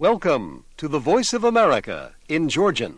Welcome to the Voice of America in Georgian.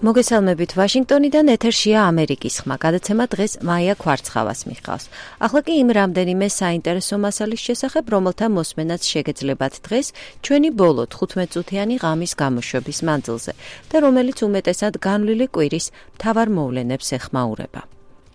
მოგესალმებით ვაშინგტონიდან ეთერშია ამერიკის ხმა. გადაცემა დღეს მაია ქვარცხავას მიჰყავს. ახლა კი იმ რამდენიმე საინტერესო მასალის შესახებ, რომელთა მოსმენაც შეგეძლებათ დღეს ჩვენი ბოლო 15 წუთიანი ღამის გამოშვების მანძილზე და რომელიც უმეტესად განვლილი კვირის მთავარ მოვლენებს ეხმაურება.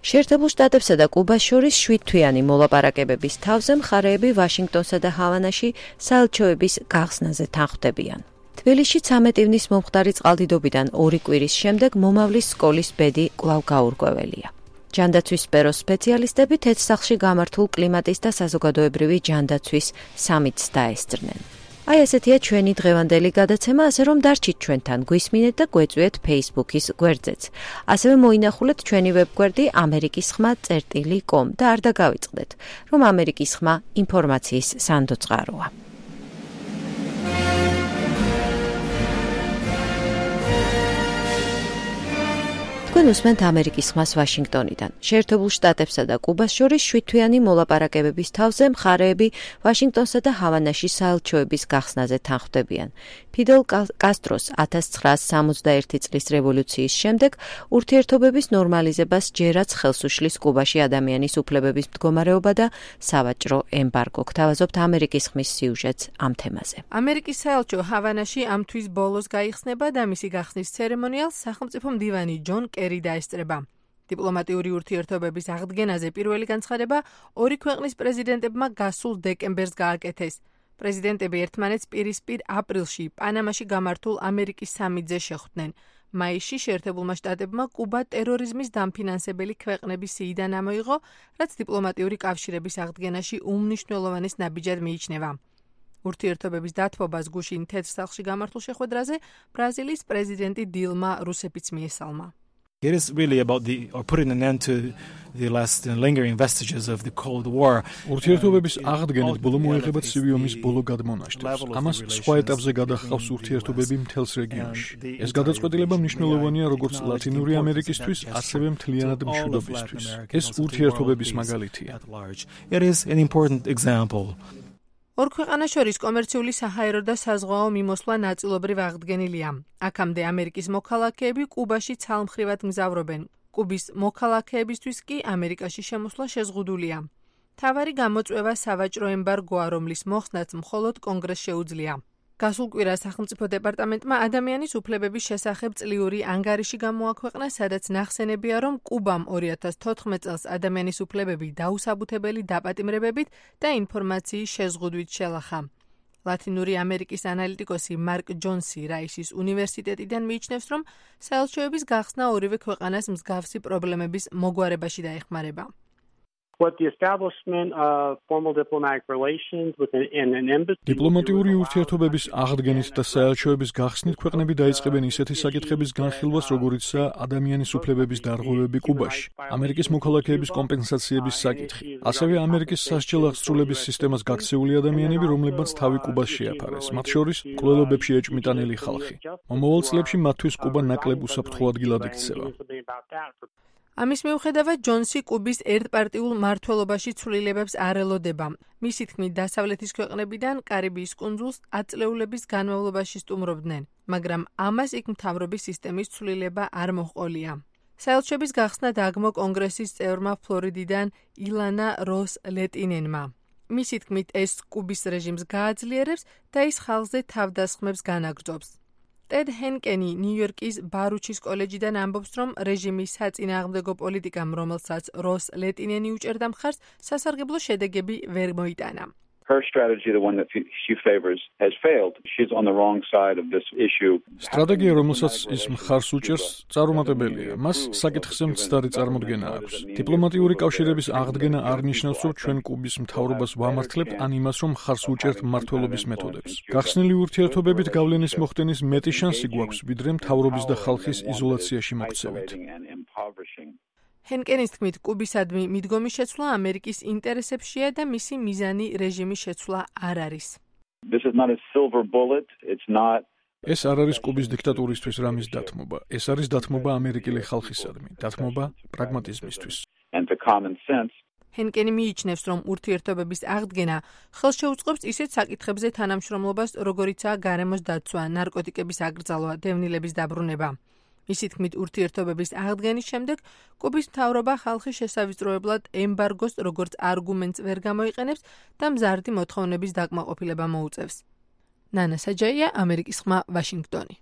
შეერთებულ შტატებსა და კუბას შორის 7-თვიანი მოლაპარაკებების თავზე მხარეები ვაშინგტონსა და ჰავანაში საელჩოების გახსნაზე თანხმდებიან. თბილისში 13 ივნის მომხდარი წყალდიდობიდან 2 კვირის შემდეგ მომავლის სკოლის ბედი კვლავ გაურკვეველია. ჯანდაცვის სფეროს სპეციალისტები თეთრსახლში გამართულ კლიმატის და საზოგადოებრივი ჯანდაცვის სამიტს დაესწრნენ. აი ესეთია ჩვენი დღევანდელი გადაცემა, ასე რომ დარჩით ჩვენთან, გვისმინეთ და გვეწვიეთ Facebook-ის გვერდზეც. ასევე მოინახულეთ ჩვენი ვებგვერდი amerikisxma.com და არ დაგავიწყდეთ, რომ ამერიკის ხმა ინფორმაციის სანდო წყაროა. თქვენ უსმენთ ამერიკის ხმას ვაშინგტონიდან. შეერთებულ შტატებსა და კუბას შორის 7-თვიანი მოლაპარაკებების თავზე მხარეები ვაშინგტონსა და ჰავანაში საელჩოების გახსნაზე თანხმდებიან. ფიდელ კასტროს 1961 წლის რევოლუციის შემდეგ ურთიერთობების ნორმალიზებას ჯერაც ხელს უშლის კუბაში ადამიანის უფლებების მდგომარეობა და სავაჭრო ემბარგო. გთავაზობთ ამერიკის ხმის სიუჟეტს ამ თემაზე. ამერიკის საელჩო ჰავანაში ამ თვის ბოლოს გაიხსნება და მისი გახსნის ცერემონიალს სახელმწიფო მდივანი ჯონ კერი დაესწრება. დიპლომატიური ურთიერთობების აღდგენაზე პირველი განცხადება ორი ქვეყნის პრეზიდენტებმა გასულ დეკემბერს გააკეთეს. პრეზიდენტები ერთმანეთს პირისპირ აპრილში პანამაში გამართულ ამერიკის სამიტზე შეხვდნენ. მაისში შეერთებულმა შტატებმა კუბა ტერორიზმის დამფინანსებელი ქვეყნების სიიდან ამოიღო, რაც დიპლომატიური კავშირების აღდგენაში უმნიშვნელოვანეს ნაბიჯად მიიჩნევა. ურთიერთობების დათბობას გუშინ თეთრსახლში გამართულ შეხვედრაზე ბრაზილიის პრეზიდენტი დილმა რუსეფიც მიესალმა. It is really about putting an end to the last lingering vestiges of the Cold War. ურთიერთობების აღდგენით ბოლო მოეღება ცივი ომის ბოლო გადმონაშთებს. ამას სხვა ეტაპზე გადაჰყავს ურთიერთობები მთელს რეგიონში. ეს გადაწყვეტილება მნიშვნელოვანია როგორც ლათინური ამერიკისთვის, ასევე მთლიანად მშვიდობისთვის. ეს ურთიერთობების მაგალითია. It is an important example. ორ ქვეყანას შორის კომერციული საჰაერო და საზღვაო მიმოსვლა ნაწილობრივ აღდგენილია. აქამდე ამერიკის მოქალაქეები კუბაში ცალმხრივად მგზავრობენ. კუბის მოქალაქეებისთვის კი ამერიკაში შემოსვლა შეზღუდულია. მთავარი გამოწვევა სავაჭრო ემბარგოა, რომლის მოხსნაც მხოლოდ კონგრესს შეუძლია. გასულ კვირას სახელმწიფო დეპარტამენტმა ადამიანის უფლებების შესახებ წლიური ანგარიში გამოაქვეყნა, სადაც ნახსენებია, რომ კუბამ 2014 წელს ადამიანის უფლებები დაუსაბუთებელი დაპატიმრებებით და ინფორმაციის შეზღუდვით შელახა. ლათინური ამერიკის ანალიტიკოსი მარკ ჯონსი რაისის უნივერსიტეტიდან მიიჩნევს, რომ საელჩოების გახსნა ორივე ქვეყანას მსგავსი პრობლემების მოგვარებაში დაეხმარება. დიპლომატიური ურთიერთობების აღდგენით და საელჩოების გახსნით ქვეყნები დაიწყებენ ისეთი საკითხების განხილვას, როგორიცაა ადამიანის უფლებების დარღვევები კუბაში, ამერიკის მოქალაქეების კომპენსაციების საკითხი, ასევე ამერიკის სასჯელ აღსრულების სისტემას გაქცეული ადამიანები, რომლებმაც თავი კუბას შეაფარეს, მათ შორის მკვლელობებში ეჭვმიტანილი ხალხი. მომავალ წლებში მათთვის კუბა ნაკლებ უსაფრთხო ადგილად იქცევა. ამის მიუხედავად ჯონსი კუბის ერთპარტიულ მმართველობაში ცვლილებებს არ ელოდება. მისი თქმით, დასავლეთის ქვეყნებიდან კარიბიის კუნძულს ათწლეულების განმავლობაში სტუმრობდნენ, მაგრამ ამას იქ მთავრობის სისტემის ცვლილება არ მოჰყოლია. საელჩოების გახსნა დაგმო კონგრესის წევრმა ფლორიდიდან ილანა როს ლეტინენმა. მისი თქმით, ეს კუბის რეჟიმს გააძლიერებს და ის ხალხზე თავდასხმებს განაგრძობს. ტედ ჰენკენი ნიუ-იორკის ბარუჩის კოლეჯიდან ამბობს, რომ რეჟიმის საწინააღმდეგო პოლიტიკამ, რომელსაც როს ლეტინენი უჭერდა მხარს, სასარგებლო შედეგები ვერ მოიტანა. Her strategy, the one that she favors, has failed. She's on the wrong side of this issue. სტრატეგია, რომელსაც ის მხარს უჭერს, წარუმატებელია. მას საკითხზე მცდარი წარმოდგენა აქვს. დიპლომატიური კავშირების აღდგენა არ ნიშნავს, რომ ჩვენ კუბის მთავრობას ვამართლებთ, ან იმას, რომ მხარს უჭერთ მმართველობის მეთოდებს. გახსნილი ურთიერთობებით გავლენის მოხდენის მეტი შანსი გვაქვს, ვიდრე მთავრობის და ხალხის იზოლაციაში მოქცევით. ჰენკენის თქმით, კუბისადმი მიდგომის შეცვლა ამერიკის ინტერესებშია და მისი მიზანი რეჟიმის შეცვლა არ არის. ეს არ არის კუბის დიქტატურისთვის რამის დათმობა. ეს არის დათმობა ამერიკელი ხალხისადმი, დათმობა პრაგმატიზმისთვის. ჰენკენი მიიჩნევს, რომ ურთიერთობების აღდგენა ხელს შეუწყობს ისეთ საკითხებზე თანამშრომლობას, როგორიცაა გარემოს დაცვა, ნარკოტიკების აკრძალვა, დევნილების დაბრუნება. მისი თქმით, ურთიერთობების აღდგენის შემდეგ კუბის მთავრობა ხალხის შესავიწროებლად ემბარგოს როგორც არგუმენტს ვერ გამოიყენებს და მზარდი მოთხოვნების დაკმაყოფილება მოუწევს. ნანა საჯაია, ამერიკის ხმა, ვაშინგტონი.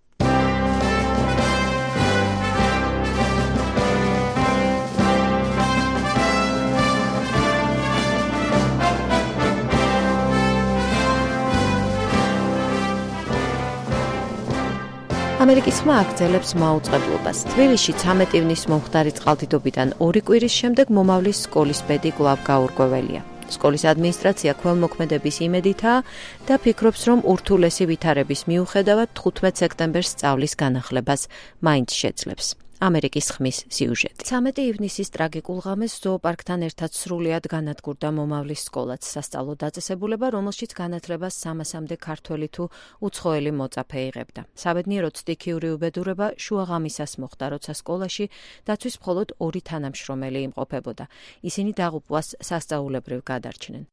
ამერიკის ხმა აგრძელებს მაუწყებლობას. თბილისში 13 ივნის მომხდარი წყალდიდობიდან 2 კვირის შემდეგ მომავლის სკოლის ბედი კვლავ გაურკვეველია. სკოლის ადმინისტრაცია ქველმოქმედების იმედითაა და ფიქრობს, რომ ურთულესი ვითარების მიუხედავად 15 სექტემბერს სწავლის განახლებას მაინც შეძლებს. ამერიკის ხმის სიუჟეტი. 13 ივნისის ტრაგიკულ ღამეს ზოოპარკთან ერთად სრულიად განადგურდა მომავლის სკოლაც, სასწავლო დაწესებულება, რომელშიც განათლებას 300-მდე ქართველი თუ უცხოელი მოწაფე იღებდა. საბედნიეროდ სტიქიური უბედურება შუაღამისას მოხდა, როცა სკოლაში დაცვის მხოლოდ 2 თანამშრომელი იმყოფებოდა. ისინი დაღუპვას სასწაულებრივ გადარჩნენ.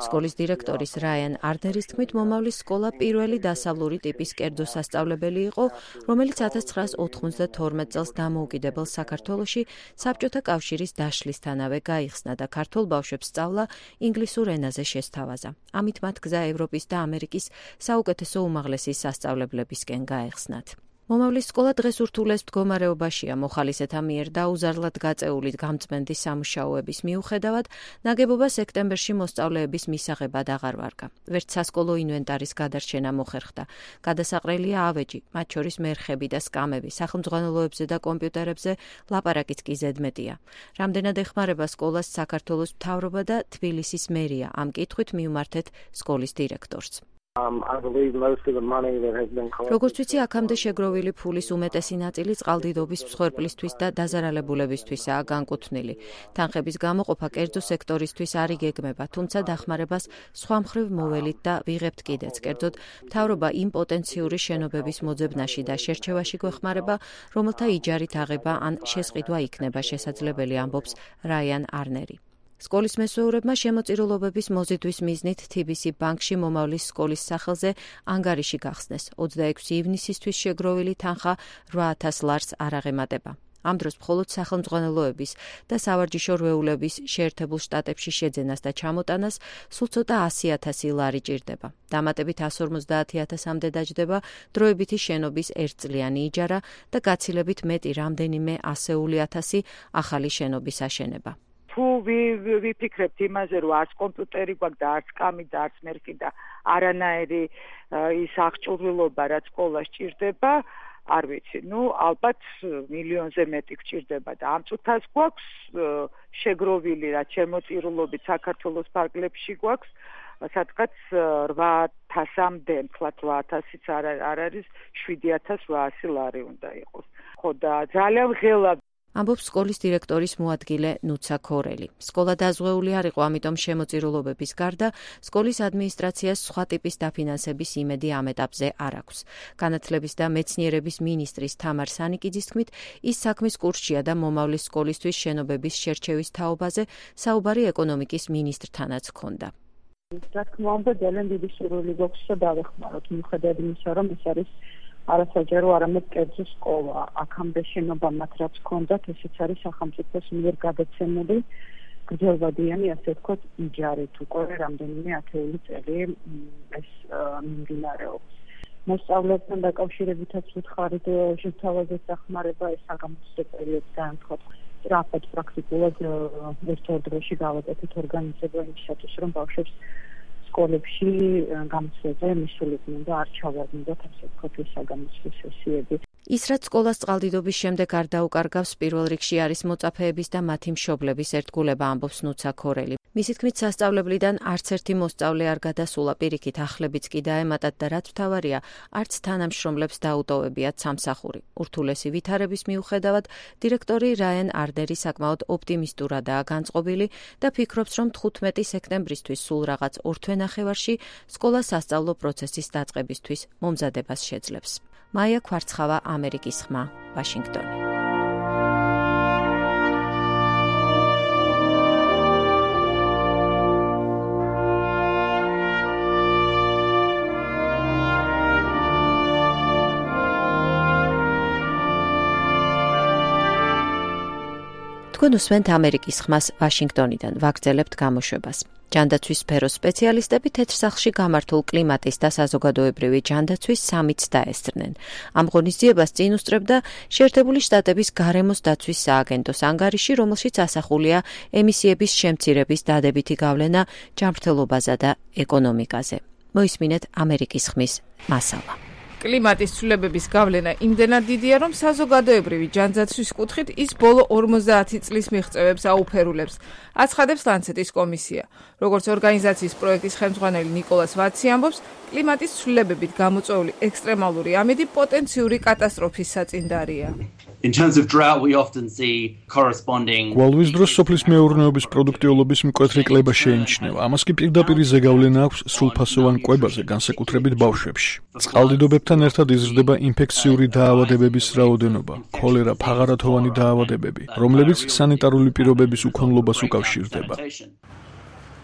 სკოლის დირექტორის რაიან არნერის თქმით, მომავლის სკოლა პირველი დასავლური ტიპის კერძო სასწავლებელი იყო, რომელიც 1992 წელს დამოუკიდებელ საქართველოში საბჭოთა კავშირის დაშლისთანავე გაიხსნა და ქართველ ბავშვებს სწავლა ინგლისურ ენაზე შესთავაზა. ამით მათ გზა ევროპის და ამერიკის საუკეთესო უმაღლესი სასწავლებლებისკენ გაეხსნათ. მომავლის სკოლა დღეს ურთულეს მდგომარეობაშია მოხალისეთა მიერ დაუზარლად გაწეული გამწმენდი სამუშაოების მიუხედავად, ნაგებობა სექტემბერში მოსწავლეების მისაღებად აღარ ვარგა. ვერც სასკოლო ინვენტარის გადარჩენა მოხერხდა. გადასაყრელია ავეჯი, მათ შორის მერხები და სკამები, სახელმძღვანელოებზე და კომპიუტერებზე ლაპარაკიც კი ზედმეტია. რამდენად ეხმარება სკოლას საქართველოს მთავრობა და თბილისის მერია, ამ კითხვით მივმართეთ სკოლის დირექტორს. როგორც ვიცი, აქამდე შეგროვილი ფულის უმეტესი ნაწილი წყალდიდობის მსხვერპლისთვის და დაზარალებულებისთვისაა განკუთვნილი. თანხების გამოყოფა კერძო სექტორისთვის არ იგეგმება, თუმცა დახმარებას სხვა მხრივ მოველით და ვიღებთ კიდეც. კერძოდ, მთავრობა იმ პოტენციური შენობების მოძებნაში და შერჩევაში გვეხმარება, რომელთა იჯარით აღება ან შესყიდვა იქნება შესაძლებელი, ამბობს რაიან არნერი. სკოლის მესვეურებმა შემოწირულობების მოზიდვის მიზნით TBC ბანკში მომავლის სკოლის სახელზე ანგარიში გახსნეს. 26 ივნისისთვის შეგროვილი თანხა 8,000 ლარს არ აღემატება. ამ დროს მხოლოდ სახელმძღვანელოების და სავარჯიშო რვეულების შეერთებულ შტატებში შეძენას და ჩამოტანას სულ ცოტა 100,000 ლარი ჭირდება. დამატებით 150,000-მდე დაჯდება დროებითი შენობის ერთწლიანი იჯარა და გაცილებით მეტი რამდენიმე ასეული ათასი ახალი შენობის აშენება. თუ ვიფიქრებთ იმაზე, რომ არც კომპიუტერი გვაქვს და არც სკამი და არც მერხი და არანაირი ის აღჭურვილობა, რაც სკოლას ჭირდება, არ ვიცი, ალბათ მილიონზე მეტი გჭირდება და ამ წუთას გვაქვს შეგროვილი, რაც შემოწირულობით საქართველოს ფარგლებში გვაქვს, სადღაც 8,000-მდე, თქვათ 8,000-იც არ არის, 7,800 ლარი უნდა იყოს. ხო და ძალიან ღელა ამბობს სკოლის დირექტორის მოადგილე ნუცა ქორელი. სკოლა დაზღვეული არ იყო, ამიტომ შემოწირულობების გარდა სკოლის ადმინისტრაციას სხვა ტიპის დაფინანსების იმედი ამ ეტაპზე არ აქვს. განათლების და მეცნიერების მინისტრის თამარ სანიკიძის თქმით, ის საქმის კურსშია და მომავლის სკოლისთვის შენობების შერჩევის თაობაზე საუბარი ეკონომიკის მინისტრთანაც ჰქონდა. რა თქმა უნდა, ძალიან დიდი სურვილი გვაქვს და დავეხმაროთ, მიუხედავად იმისა, რომ ეს არის არასაჯარო, არამედ კერძო სკოლა. აქამდე შენობა მათ რაც ჰქონდათ, ესეც არის სახელმწიფოს მიერ გადაცემული გრძელვადიანი, ასე ვთქვათ, იჯარით. უკვე რამდენიმე ათეული წელი ეს მიმდინარეობს. მოსწავლეებთან დაკავშირებითაც ვუთხარით შეთავაზეთ დახმარება, ეს საგამოცდო პერიოდიდან ვთქვათ, სწრაფად პრაქტიკულად ერთ-ერთ დროში გავაკეთეთ ორგანიზება იმისათვის, რომ ბავშვებს სკოლებში გამოცდილება მისულიყვნენ და არ ჩავარდნათ ასე ვთქვათ ეს საგამოცდო სესიები. ის რაც სკოლას წყალდიდობის შემდეგ არ დაუკარგავს, პირველ რიგში არის მოწაფეების და მათი მშობლების ერთგულება, ამბობს ნუცა ქორელი. მისი თქმით, სასწავლებლიდან არც ერთი მოსწავლე არ გადასულა, პირიქით ახლებიც კი დაემატათ და რაც მთავარია, არც თანამშრომლებს დაუტოვებიათ სამსახური. ურთულესი ვითარების მიუხედავად, დირექტორი რაიან არნერი საკმაოდ ოპტიმისტურადაა განწყობილი და ფიქრობს, რომ 15 სექტემბრისთვის სულ რაღაც 2 თვენახევარში სკოლა სასწავლო პროცესის დაწყებისთვის მომზადებას შეძლებს. მაია ქვარცხავა, ამერიკის ხმა, ვაშინგტონი. თქვენ უსმენთ ამერიკის ხმას ვაშინგტონიდან, ვაგრძელებთ გამოშვებას. ჯანდაცვის სფეროს სპეციალისტები თეთრ სახლში გამართულ კლიმატის და საზოგადოებრივი ჯანდაცვის სამიტს დაესწრნენ. ამ ღონისძიებას წინ უსწრებდა შეერთებული შტატების გარემოს დაცვის სააგენტოს ანგარიში, რომელშიც ასახულია ემისიების შემცირების დადებითი გავლენა ჯანმრთელობაზე და ეკონომიკაზე. მოისმინეთ ამერიკის ხმის მასალა. კლიმატის ცვლილებების გავლენა იმდენად დიდია, რომ საზოგადოებრივი ჯანდაცვის კუთხით ის ბოლო 50 წლის მიღწევებს აუფერულებს, აცხადებს ლანცეტის კომისია. როგორც ორგანიზაციის პროექტის ხელმძღვანელი ნიკოლას ვაცი ამბობს, კლიმატის ცვლილებებით გამოწვეული ექსტრემალური ამიდი პოტენციური კატასტროფის საწინდარია. In terms of drought, we often see corresponding გვალვის დროს სოფლის მეურნეობის პროდუქტიულობის მკვეთრი კლება შეიმჩნევა. ამას კი პირდაპირ ზეგავლენა აქვს სრულფასოვან კვებაზე, განსაკუთრებით ბავშვებში. წყალდიდობებთან ერთად იზრდება ინფექციური დაავადებების რაოდენობა, ქოლერა, ფაღარათოვანი დაავადებები, რომლებიც სანიტარული პირობების უქონლობას უკავშირდება.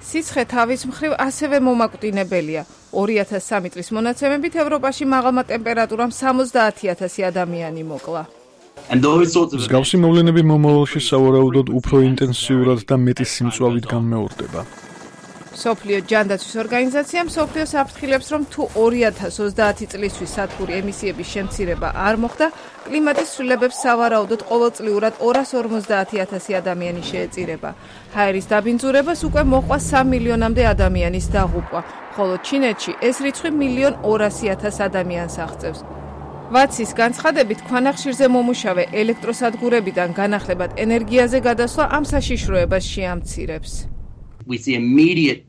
სიცხე თავის მხრივ ასევე მომაკვდინებელია. 2003 წლის მონაცემებით ევროპაში მაღალმა ტემპერატურამ 70,000 ადამიანი მოკლა. მსგავსი მოვლენები მომავალში სავარაუდოდ უფრო ინტენსიურად და მეტი სიმწვავით განმეორდება. მსოფლიო ჯანდაცვის ორგანიზაცია მსოფლიოს აფრთხილებს, რომ თუ 2030 წლისთვის სადგური ემისიების შემცირება არ მოხდა, კლიმატის ცვლილებებს სავარაუდოდ ყოველწლიურად 250,000 ადამიანი შეეწირება. ჰაერის დაბინძურებას უკვე მოყვა 3 მილიონამდე ადამიანის დაღუპვა, ხოლო ჩინეთში ეს რიცხვი 1,200,000 ადამიანს აღწევს. ვაცის განცხადებით, ქვანახშირზე მომუშავე ელექტროსადგურებიდან განახლებად ენერგიაზე გადასვლა ამ საშიშროებას შეამცირებს. We see immediate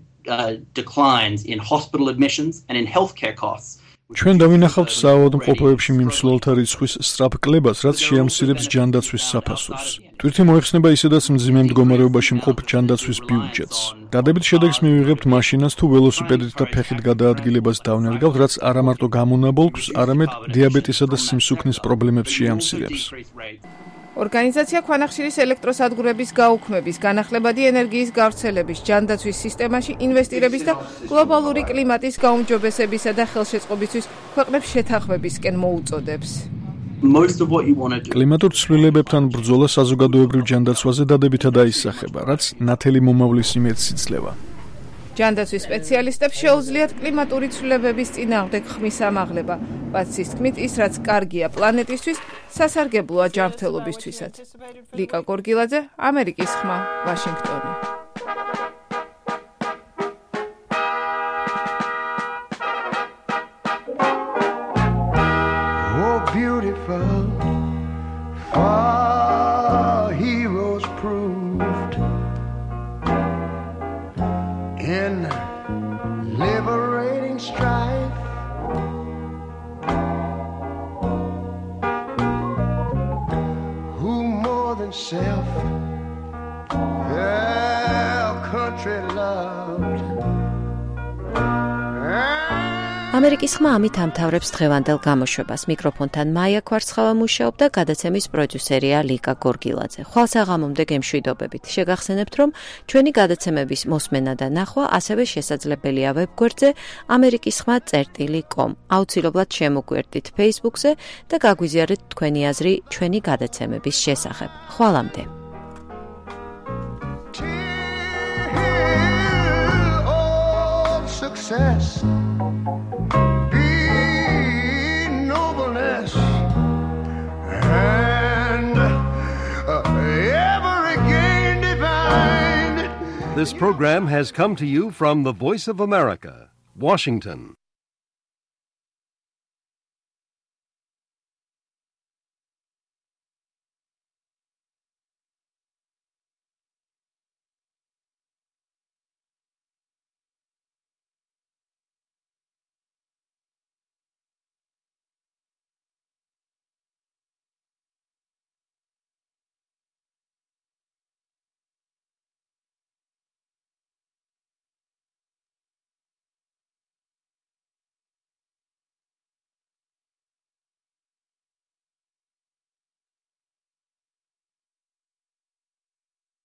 declines in hospital admissions and in healthcare costs. ჩვენ დავინახავთ საავადმყოფოებში მიმსვლელთა რიცხვის სწრაფ კლებას, რაც შეამცირებს ჯანდაცვის საფასურს. ტვირთი მოეხსნება ისედაც მძიმე მდგომარეობაში მყოფ ჯანდაცვის ბიუჯეტს. დადებით შედეგს მივიღებთ მაშინაც თუ ველოსიპედით და ფეხით გადაადგილებას დავნერგავთ, რაც არა მარტო გამონაბოლქვს, არამედ დიაბეტისა და სიმსუქნის პრობლემებს შეამცირებს. ორგანიზაცია ქვანახშირის ელექტროსადგურების გაუქმების, განახლებადი ენერგიის გავრცელების, ჯანდაცვის სისტემაში ინვესტირების და გლობალური კლიმატის გაუმჯობესებისა და ხელშეწყობისთვის ქვეყნებს შეთანხმებისკენ მოუწოდებს. კლიმატურ ცვლილებებთან ბრძოლა საზოგადოებრივ ჯანდაცვაზე დადებითად აისახება, რაც ნათელი მომავლის იმედს იძლევა. ჯანდაცვის სპეციალისტებს შეუძლიათ კლიმატური ცვლილებების წინააღმდეგ ხმის ამაღლება. ვაცის თქმით, ის რაც კარგია პლანეტისთვის, სასარგებლოა ჯანმრთელობისთვისაც. ლიკა გორგილაძე, ამერიკის ხმა, ვაშინგტონი. Oh, beautiful, far heroes proved in liberating strife. Who more than self their country loved. ამერიკის ხმა ამით ამთავრებს დღევანდელ გამოშვებას. მიკროფონთან მაია ქვარცხავა მუშაობდა, გადაცემის პროდიუსერია ლიკა გორგილაძე. ხვალსაღამომდე გემშვიდობებით. შეგახსენებთ, რომ ჩვენი გადაცემების მოსმენა და ნახვა ასევე შესაძლებელია ვებგვერდზე amerikisxma.com. აუცილებლად შემოგვერდით Facebook-ზე და გაგვიზიარეთ თქვენი აზრი ჩვენი გადაცემების შესახებ. ხვალამდე. Success. This program has come to you from the Voice of America, Washington.